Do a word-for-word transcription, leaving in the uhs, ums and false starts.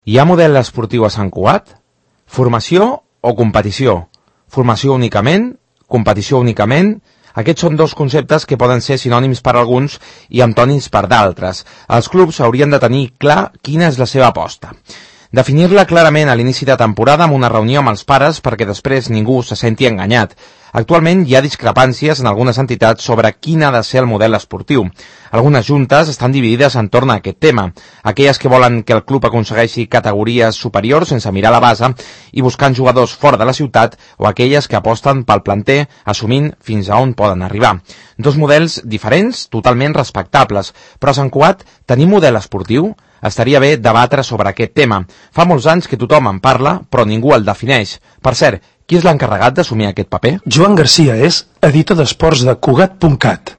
Hi ha model esportiu a Sant Cugat? Formació o competició? Formació únicament? Competició únicament? Aquests són dos conceptes que poden ser sinònims per alguns i antònims per d'altres. Els clubs haurien de tenir clar quina és la seva aposta. Definir-la clarament a l'inici de temporada amb una reunió amb els pares perquè després ningú se senti enganyat. Actualment hi ha discrepàncies en algunes entitats sobre quin ha de ser el model esportiu. Algunes juntes estan dividides entorn a aquest tema. Aquelles que volen que el club aconsegueixi categories superiors sense mirar la base i buscant jugadors fora de la ciutat, o aquelles que aposten pel planter assumint fins a on poden arribar. Dos models diferents, totalment respectables. Però a Sant Cugat tenim model esportiu? Estaria bé debatre sobre aquest tema. Fa molts anys que tothom en parla, però ningú el defineix. Per cert, qui és l'encarregat d'assumir aquest paper? Joan Garcia és editor d'esports de Cugat punt cat.